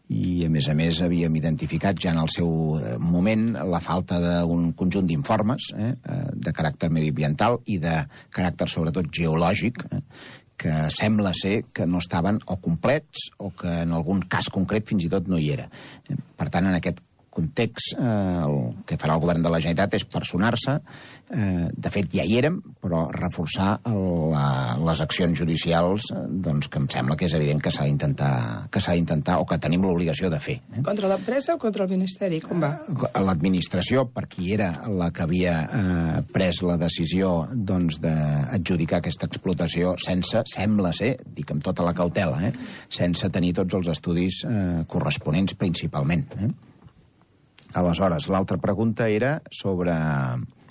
I, a més a més, havíem identificat ja en el seu eh, moment la falta d'un conjunt d'informes eh, eh, de caràcter mediambiental i de caràcter, sobretot, geològic, eh, que sembla ser que no estaven o complets o que en algun cas concret fins i tot no hi era. Eh, Per tant, en aquest context, eh, el que farà el govern de la Generalitat és personar-se. Eh, de fet, ja hi érem, però reforçar el, la, les accions judicials, eh, doncs, que em sembla que és evident que s'ha d'intentar, que s'ha d'intentar o que tenim l'obligació de fer. Eh? Contra l'empresa o contra el Ministeri? Com va? L'administració, per qui era la que havia eh, pres la decisió doncs, d'adjudicar aquesta explotació sense, sembla ser, dic amb tota la cautela, eh, sense tenir tots els estudis eh, corresponents principalment. Eh? Aleshores, l'altra pregunta era sobre...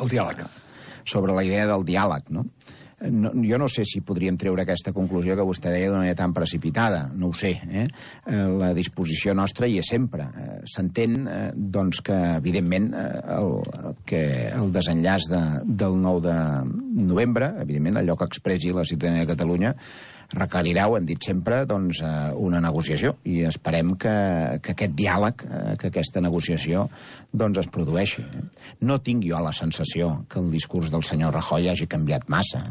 El diàleg. sobre la idea del diàleg, no? No, jo no sé si podríem treure aquesta conclusió que vostè deia d'una manera tan precipitada, no ho sé. Eh? La disposició nostra hi és sempre. Eh, S'entén eh, doncs que, evidentment, eh, el, que el desenllaç de, del nou de novembre, evidentment, allò que expressi la ciutadania de Catalunya, requerirà, ho hem dit sempre, doncs, eh, una negociació, i esperem que, que aquest diàleg, eh, que aquesta negociació, doncs es produeixi. No tinc jo la sensació que el discurs del senyor Rajoy hagi canviat massa.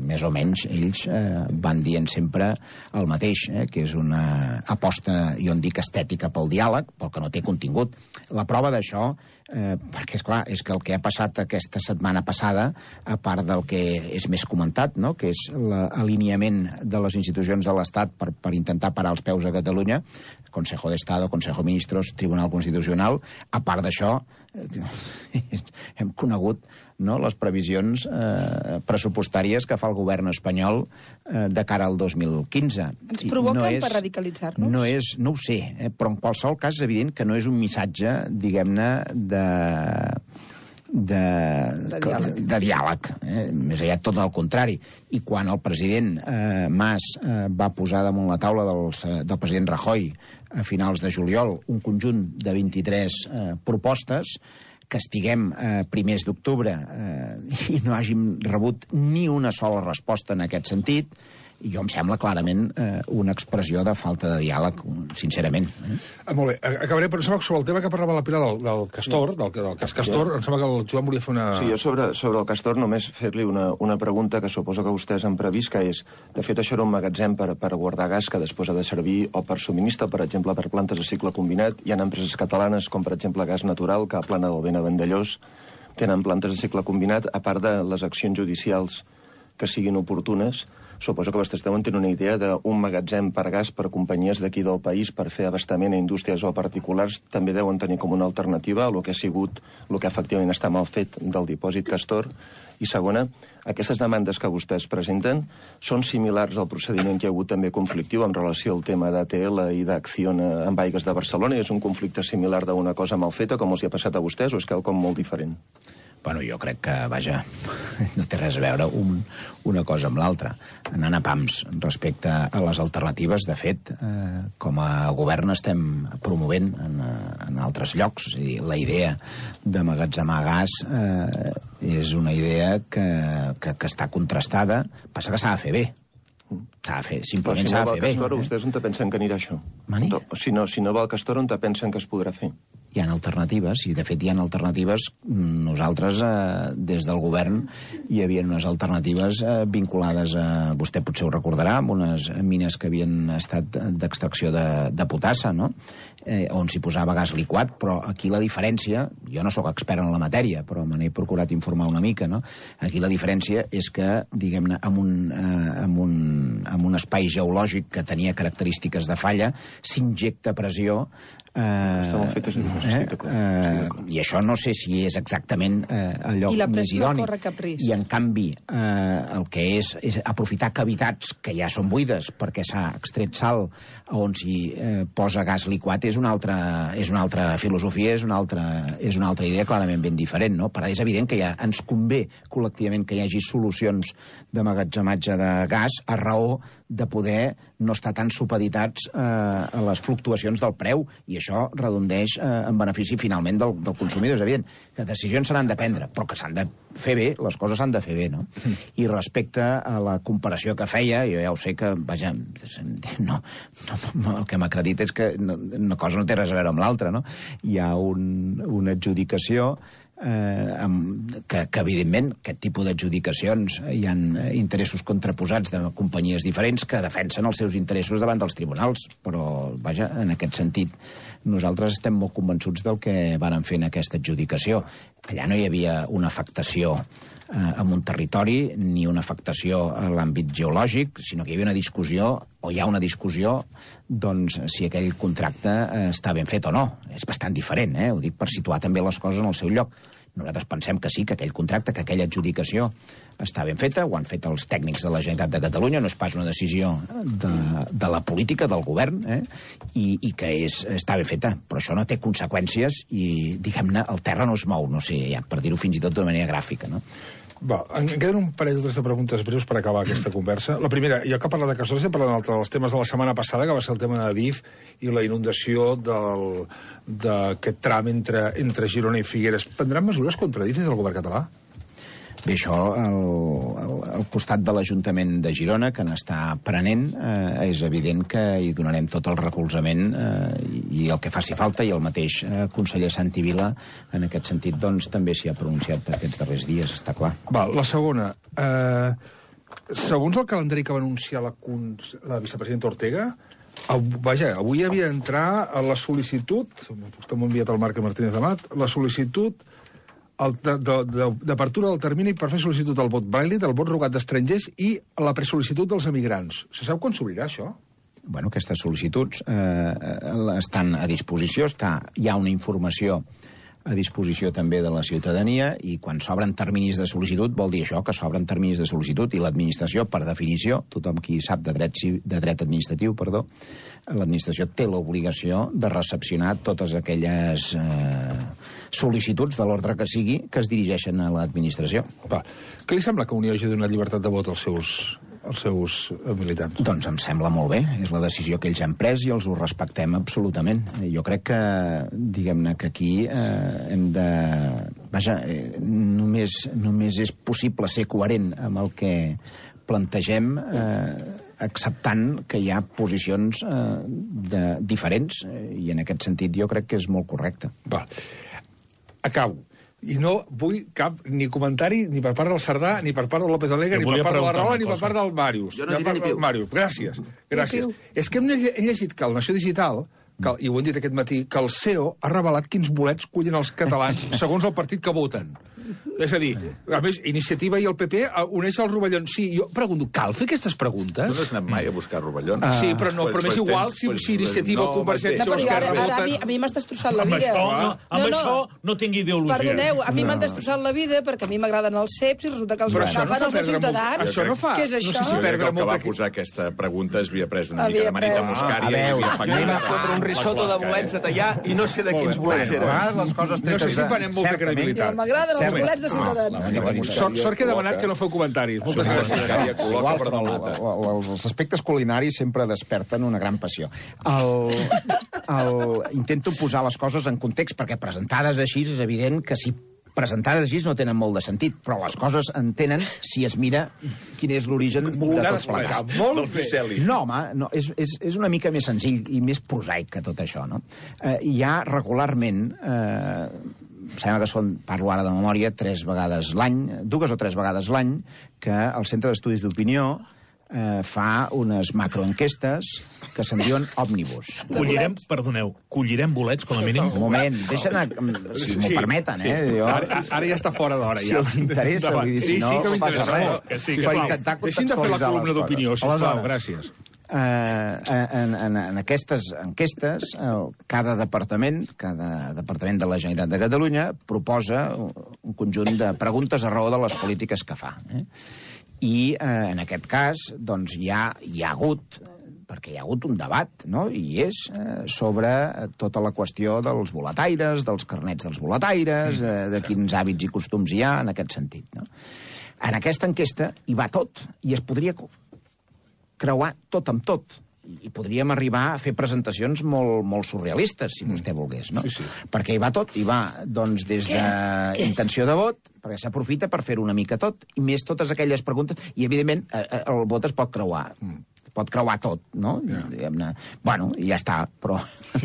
Més o menys ells eh, van dient sempre el mateix, eh, que és una aposta, jo en dic, estètica pel diàleg, però que no té contingut. La prova d'això, eh, perquè, és clar, és que el que ha passat aquesta setmana passada, a part del que és més comentat, no?, que és l'alineament de les institucions de l'Estat per, per intentar parar els peus a Catalunya, Consejo de Estado, Consejo de Ministros, Tribunal Constitucional, a part d'això, eh, hem conegut, no, les previsions eh, pressupostàries que fa el govern espanyol eh, de cara al dos mil quinze. Ens provoquen no és, per radicalitzar-nos? No és, no ho sé, eh, però en qualsevol cas és evident que no és un missatge, diguem-ne, de... De, de diàleg, de diàleg eh? Més aviat tot el contrari. I quan el president eh, Mas eh, va posar damunt la taula dels, eh, del president Rajoy a finals de juliol un conjunt de vint-i-tres eh, propostes, que estiguem eh, primers d'octubre eh, i no hàgim rebut ni una sola resposta en aquest sentit, jo em sembla clarament eh, una expressió de falta de diàleg, sincerament. Eh? Ah, molt bé, acabaré, però em sembla que sobre el tema que parlava la Pilar del, del Castor, del, del cas Castor, em sembla que el Joan volia fer una... Sí, jo sobre, sobre el Castor només fer-li una, una pregunta que suposo que vostès han previst, que és, de fet, això era un magatzem per, per guardar gas que després ha de servir o per subministre, per exemple, per plantes de cicle combinat. Hi ha empreses catalanes, com per exemple Gas Natural, que a Plana del Vent a Vandellós tenen plantes de cicle combinat, a part de les accions judicials que siguin oportunes suposo que vostès deuen tenir una idea d'un magatzem per gas per companyies d'aquí del país per fer abastament a indústries o particulars, també deuen tenir com una alternativa a el que ha sigut, el que efectivament està mal fet del dipòsit Castor. I segona, aquestes demandes que vostès presenten són similars al procediment que hi ha hagut també conflictiu en relació al tema d'A T L i d'Acciona amb Aigües de Barcelona, i és un conflicte similar d'una cosa mal feta com els hi ha passat a vostès, o és quelcom molt diferent? Bueno, jo crec que, vaja, no té res a veure un, una cosa amb l'altra. Anant a pams respecte a les alternatives, de fet, eh, com a govern estem promovent en, en altres llocs. És a dir, la idea d'emmagatzemar gas eh, és una idea que, que, que està contrastada. Passa que s'ha de fer bé. S'ha de fer, simplement s'ha de fer bé. Però si no va el Castor, vostès on te pensen que anirà això? Mani? Si no, si no va el Castor, on te pensen que es podrà fer? Hi ha alternatives, i de fet hi ha alternatives. Nosaltres, eh, des del govern, hi havia unes alternatives eh, vinculades a, vostè potser ho recordarà, amb unes mines que havien estat d'extracció de, de potassa, no? eh, on s'hi posava gas liquat, però aquí la diferència, jo no sóc expert en la matèria, però me n'he procurat informar una mica, no? Aquí la diferència és que, diguem-ne, amb un, eh, amb un, amb un espai geològic que tenia característiques de falla, s'injecta pressió. Eh, Està molt fet, eh, eh, i això no sé si és exactament eh, el lloc més idoni. I en canvi eh, el que és és aprofitar cavitats que ja són buides perquè s'ha extret sal on s'hi eh, posa gas liquat és una altra, és una altra filosofia, és una altra, és una altra idea clarament ben diferent, no? Però és evident que ja ens convé col·lectivament que hi hagi solucions d'emmagatzematge de gas a raó de poder no estar tan supeditats eh, a les fluctuacions del preu, i això redondeix eh, en benefici finalment del, del consumidor. És evident que decisions s'han de prendre, però que s'han de fer bé, les coses s'han de fer bé, no? Mm. I respecte a la comparació que feia, jo ja ho sé que, vaja, no, no, no el que m'acredita és que no, una cosa no té res a veure amb l'altra, no? Hi ha un, una adjudicació Eh, amb, que, que evidentment aquest tipus d'adjudicacions hi ha interessos contraposats de companyies diferents que defensen els seus interessos davant dels tribunals, però vaja, en aquest sentit nosaltres estem molt convençuts del que varen fer en aquesta adjudicació. Allà no hi havia una afectació eh, en un territori ni una afectació a l'àmbit geològic, sinó que hi havia una discussió, o hi ha una discussió, doncs si aquell contracte eh, està ben fet o no. És bastant diferent, eh? Ho dic per situar també les coses en el seu lloc. Nosaltres pensem que sí, que aquell contracte, que aquella adjudicació està ben feta, ho han fet els tècnics de la Generalitat de Catalunya, no és pas una decisió de, de la política, del govern, eh? I, i que és, està ben feta, però això no té conseqüències i, diguem-ne, el terra no es mou, no sé, ja, per dir-ho fins i tot d'una manera gràfica, no? Va, em queden un parell o tres de preguntes breus per acabar aquesta conversa. La primera, jo que he parlat de Castor, estem parlant dels temes de la setmana passada, que va ser el tema de Adif i la inundació d'aquest tram entre, entre Girona i Figueres. Prendran mesures contra Adif des del govern català? Bé, això, al, al, al costat de l'Ajuntament de Girona, que n'està prenent, eh, és evident que hi donarem tot el recolzament eh, i el que faci falta, i el mateix eh, conseller Santi Vila, en aquest sentit, doncs, també s'hi ha pronunciat aquests darrers dies, està clar. Va, la segona. Eh, segons el calendari que va anunciar la, la vicepresidenta Ortega, av, vaja, avui havia d'entrar a la sol·licitud, vostè m'ha enviat el Marc Martínez Amat, la sol·licitud d'apertura del termini per fer sol·licitud del vot vàlid, del vot rogat d'estrangers i la presol·licitud dels emigrants. Se sap quan s'obrirà això? Bueno, aquestes sol·licituds eh, estan a disposició, està, hi ha una informació a disposició també de la ciutadania, i quan s'obren terminis de sol·licitud vol dir això, que s'obren terminis de sol·licitud, i l'administració, per definició, tothom qui sap de dret, de dret administratiu, perdó, l'administració té l'obligació de recepcionar totes aquelles eh, sol·licituds de l'ordre que sigui que es dirigeixen a l'administració. Va, què li sembla que Unió hagi donat llibertat de vot als seus, als seus militants? Doncs em sembla molt bé, és la decisió que ells han pres i els ho respectem absolutament. Jo crec que, diguem-ne, que aquí eh, hem de... Vaja, eh, només, només és possible ser coherent amb el que plantegem, eh, acceptant que hi ha posicions eh, de, diferents, i en aquest sentit jo crec que és molt correcte. Va, acabo. I no vull cap ni comentari ni per part del Cerdà, ni per part del López Alegre, ni per part de la Rahola, ni per part del Màrius. Jo no diré ni piu. Màrius, gràcies. gràcies. És que hem llegit que el Nació Digital, que, i ho hem dit aquest matí, que el C E O ha revelat quins bolets cullen els catalans segons el partit que voten. És a dir, a més, Iniciativa i el P P uneix el rovellons. Sí, jo pregunto, cal fer aquestes preguntes? Tu no has anat mai a buscar rovellons? Uh, sí, però no, però m'és igual si, si Iniciativa o Convergència o Esquerra ara, ara, voten... a mi, a mi m'has destrossat la Amb vida. això no, amb no, no. això no tinc ideologia. Perdoneu, a mi m'han destrossat la vida perquè a mi m'agraden els ceps i resulta que els Però això no agafen fa els de perdre molt- Ciutadans. això no fa- Què és no això? sé si Jo crec perdre que el que molta- va posar aquesta pregunta havia pres una Havia mica de manita pres. muscària A i veure, havia afectat... Anem a fotre un risotto de bolets a tallar i no sé de quins bolets A eren. vegades les coses No sé tretes si de- prenem molta certament. credibilitat. Ja, m'agraden els Cert. bolets de Ciutadans. Sort, sort que he demanat que no feu comentaris. Moltes gràcies. Muscària col·loca Igual, per però donata. el- el- els aspectes culinaris sempre desperten una gran passió. El, el, intento posar les coses en context, perquè presentades així és evident que si presentades així no tenen molt de sentit, però les coses en tenen si es mira quin és l'origen de tot plegat. Molt Del bé. Ficeli. No, home, no, és, és, és una mica més senzill i més prosaic que tot això, no? Eh, hi ha regularment... Eh, em sembla que són, parlo ara de memòria, tres vegades l'any, dues o tres vegades l'any, que el Centre d'Estudis d'Opinió eh, fa unes macroenquestes que se'n diuen òmnibus. Collirem, perdoneu, collirem bolets, com a mínim? Un moment, deixa anar, si m'ho Sí, permeten, sí. eh? Jo, Ara, ara ja està fora d'hora. si ja. els interessa, Endavant. vull dir, si sí, no, sí que no passa m'interessa. res. No, que sí, Si que per sisplau. intentar Deixin de fer la contextualitzar columna les d'opinió, coses. sisplau. Aleshores, Gràcies. Eh, en, en, en aquestes enquestes, el, cada departament, cada departament de la Generalitat de Catalunya proposa un conjunt de preguntes a raó de les polítiques que fa. Eh? I eh, en aquest cas, doncs, hi ha, hi ha hagut, perquè hi ha hagut un debat, no? I és eh, sobre tota la qüestió dels boletaires, dels carnets dels boletaires, eh, de quins hàbits i costums hi ha en aquest sentit, no? En aquesta enquesta hi va tot, i es podria creuar tot amb tot. I podríem arribar a fer presentacions molt, molt surrealistes, si vostè volgués, no? Sí, sí. Perquè hi va tot, hi va, doncs, des d'intenció de vot, perquè s'aprofita per fer una mica tot, i més totes aquelles preguntes, i, evidentment, eh, eh, el vot es pot creuar. Pot creuar tot, no? Diguem-ne. Bueno, i ja està, però,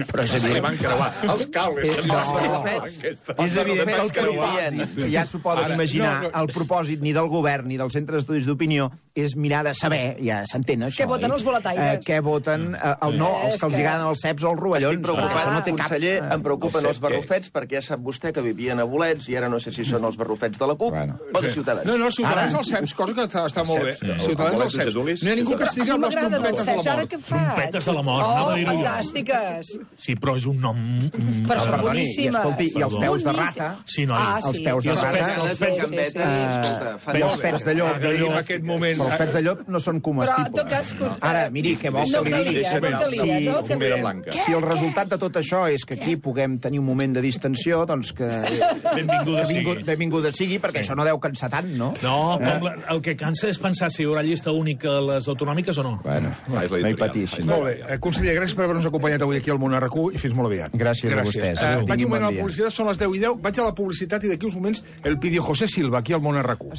però és Se li evident... van creuar els cables. Se li van No. creuar l'enquesta. És evident que el propòsit, ja s'ho poden Ara, imaginar, no, no. el propòsit ni del govern ni del Centre d'Estudis d'Opinió és mirar de saber, ja s'entén això. Què voten oi? els boletaires? Eh, què voten, eh, el, no, els que els És que- agraden els ceps o els rovellons. Estic preocupat, perquè això no té cap... conseller, em preocupen el els cep, què? barrufets, perquè ja sap vostè que vivien a bolets i ara no sé si són els barrufets de la CUP Bueno. o de Ciutadans. No, no, Ciutadans Ara- als ceps, cosa que està, està molt bé. Sí. Ciutadans El als ceps. bolet No hi ha ningú que A estigui mi amb les m'agraden els trompetes de ceps, la ara mort. què faig? Trompetes de la mort, Oh, anava a dir-ho jo. fantàstiques. Sí, però és un nom... mm, Però són Perdoni, i boníssimes. escolti, i els peus de rata? Sí, noi. Ah, Els sí. peus de I els rata? pets- els pets- sí, sí, sí. Escolta, I els fantàstic. pets de llop. Agraïm aquest moment. Però els pets de llop no són Però, en comestibles. tot cas... Ara, miri, què vol no que li calia, digui? no calia, Si- no Fumera calia. blanca. Si el resultat de tot això és que aquí puguem tenir un moment de distensió, doncs que... Benvinguda benvingut, sigui. benvinguda sigui, perquè això no deu cansar tant, no? No, com la, el que cansa és pensar si hi haurà llista única a les autonòmiques o no. Bueno, Ah, és no hi l'editorial. pateixi. Molt bé. Eh, Conseller, gràcies per haver-nos acompanyat avui aquí al Món R Q i fins molt aviat. Gràcies a vostès. Eh, Adéu. vaig un Tinguin moment bon a la dia. publicitat, són les deu i deu. Vaig a la publicitat i d'aquí uns moments el Pidio José Silva, aquí al Món R Q.